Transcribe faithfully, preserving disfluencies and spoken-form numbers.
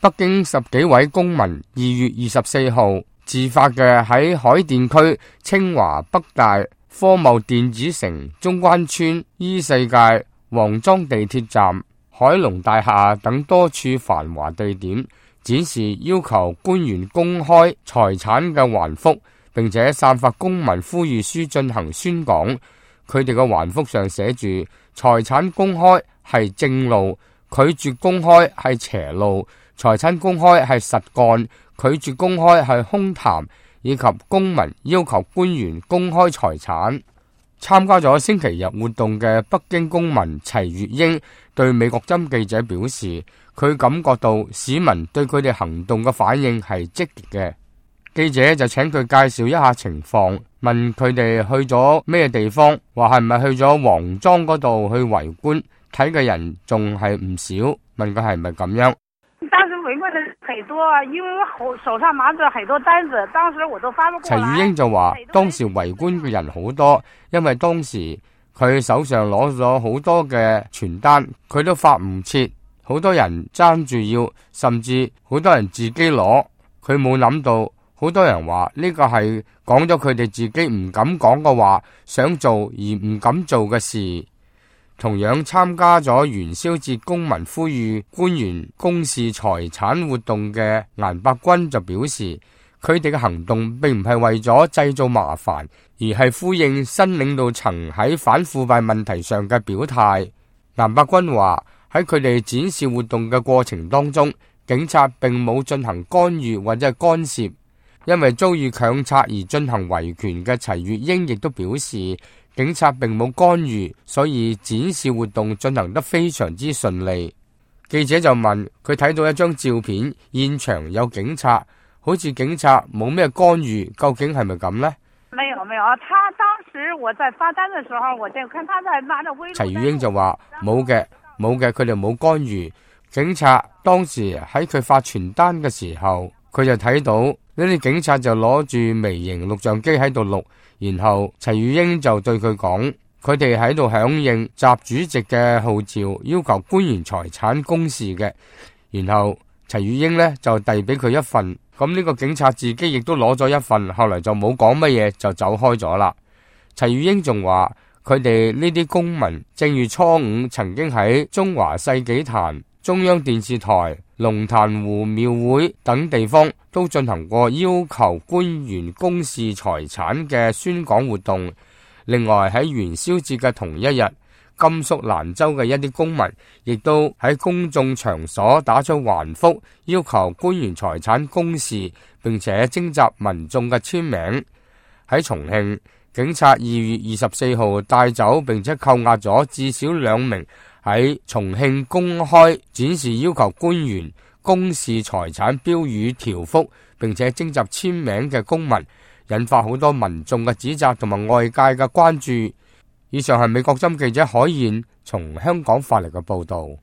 北京十幾位公民二月二十四號自發嘅喺海淀區清華北大科貿電子城中關村依世界黃莊地鐵站海龍大廈等多處繁華地點展示要求官員公開財產嘅橫幅，並且散發公民呼籲書進行宣講。佢哋嘅橫幅上寫住財產公開係正路，拒絕公開係邪路，財產公開係實幹，拒絕公開係空談，以及公民要求官員公開財產。參加咗星期日活動嘅北京公民齊月英對美國針記者表示，佢感覺到市民對佢哋行動嘅反應係積極嘅。記者就請佢介紹一下情況，問佢哋去咗咩地方，話係咪去咗黃莊嗰度去圍觀，睇嘅人仲係唔少，問佢係咪咁樣。當時圍觀的很多，因為我手上拿着很多單子，當時我都發不過來。齊宇英就話，當時圍觀嘅人好多，因為當時佢手上攞咗好多嘅傳單，佢都發唔切，好多人爭住要，甚至好多人自己攞，佢冇諗到。好多人話呢個係講咗佢哋自己唔敢講嘅話，想做而唔敢做嘅事。同樣參加咗元宵節公民呼籲官員公示財產活動嘅顏伯君就表示，佢哋嘅行動並唔係為咗製造麻煩，而係呼應新領導層喺反腐敗問題上嘅表態。顏伯君話喺佢哋展示活動嘅過程當中，警察並冇進行干預或者係干涉。因為遭遇強拆而進行維權嘅齊月英亦都表示，警察並冇干預，所以展示活動進行得非常之順利。記者就問佢睇到一張照片，現場有警察，好似警察冇咩干預，究竟係咪咁呢？沒有沒有，他當時我在發單嘅時候，我就看他在拿着微。齊月英就話冇嘅，冇嘅，佢哋冇干預。警察當時喺佢發傳單嘅時候，佢就睇到。呢啲警察就攞住微型錄像機喺度錄，然後齊宇英就對佢講，佢哋喺度響應習主席嘅號召，要求官員財產公示嘅。然後齊宇英呢就遞俾佢一份，咁呢個警察自己亦都攞咗一份，後來就冇講乜嘢就走開咗啦。齊宇英仲話，佢哋呢啲公民正月初五曾經喺中華世紀壇、中央電視台、龍潭湖廟會等地方都進行過要求官員公示財產嘅宣講活動。另外喺元宵節嘅同一日，甘肅蘭州嘅一啲公民亦都喺公眾場所打出橫幅，要求官員財產公示，並且徵集民眾嘅簽名。喺重慶，警察二月二十四號帶走並且扣押咗至少兩名喺重慶公開展示要求官員公示財產標語條幅，並且徵集簽名嘅公民，引發好多民眾嘅指責同埋外界嘅關注。以上係美國針記者海燕從香港發嚟嘅報道。